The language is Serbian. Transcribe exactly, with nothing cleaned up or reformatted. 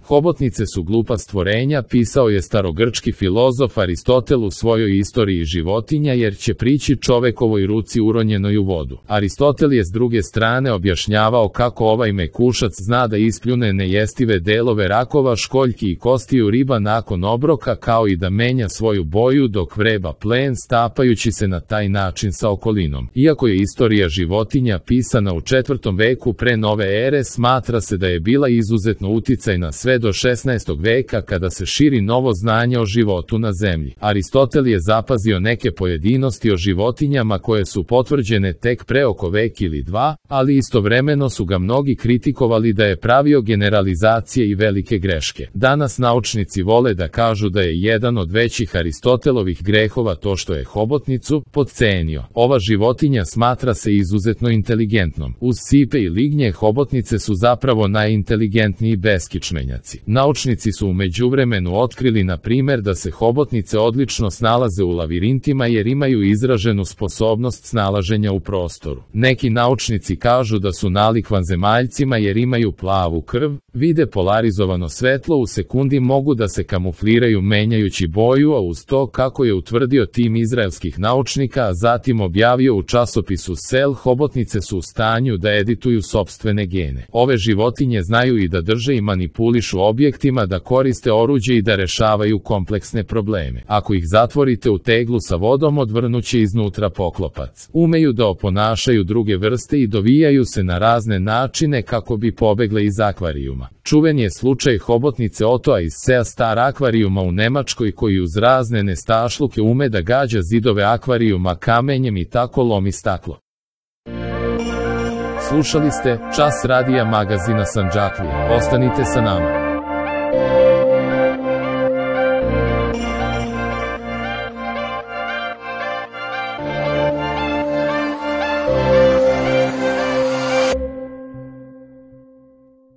Hobotnice su glupa stvorenja, pisao je starogrčki filozof Aristotel u svojoj istoriji životinja, jer će prići čovekovoj ruci uronjenoj u vodu. Aristotel je s druge strane objašnjavao kako ovaj mekušac zna da ispljune nejestive delove rakova, školjki i kostiju riba nakon obroka, kao i da menja svoju boju dok vreba plen, stapajući se na taj način sa okolinom. Iako je istorija životinja pisana u četvrtom veku pre nove ere, smatra se da je bila izuzetno uticajna sve do šesnaestog veka, kada se širi novo znanje o životu na zemlji. Aristotel je zapazio neke pojedinosti o životinjama koje su potvrđene tek pre oko vek ili dva, ali istovremeno su ga mnogi kritikovali da je pravio generalizacije i velike greške. Danas naučnici vole da kažu da je jedan od većih Aristotelovih grehova to što je hobotnicu potcenio. Ova životinja smatra se izuzetno inteligentnom. Uz sipe i lignje, hobotnice su zapravo najinteligentniji beskičmenjaci. Naučnici su u međuvremenu otkrili, na primer, da se hobotnice odlično snalaze u lavirintima jer imaju izraženu sposobnost snalaženja u prostoru. Neki naučnici kažu da su nalik vanzemaljcima jer imaju plavu krv, vide polarizovano svetlo, u sekundi mogu da se kamufliraju menjajući boju, a uz to, kako je utvrdio tim izraelskih naučnika, a zatim objavio u časopisu Cell, hobotnice su u stanju da edituju sopstvene gene. Ove životinje znaju i da drže i manipulišu objektima, da koriste oruđe i da rešavaju kompleksne probleme. Ako ih zatvorite u teglu sa vodom, odvrnuće iznutra poklopac. Umeju da oponašaju druge vrste i dovijaju se na razne načine kako bi pobegle iz akvarijuma. Čuven je slučaj hobotnice Otoa iz Sea Star akvarijuma u Nemačkoj, koji uz razne nestašluke ume da gađa zidove akvarijuma kamenjem i tako lomi staklo. Slušali ste Čas radija magazina Sandžaklija. Ostanite sa nama.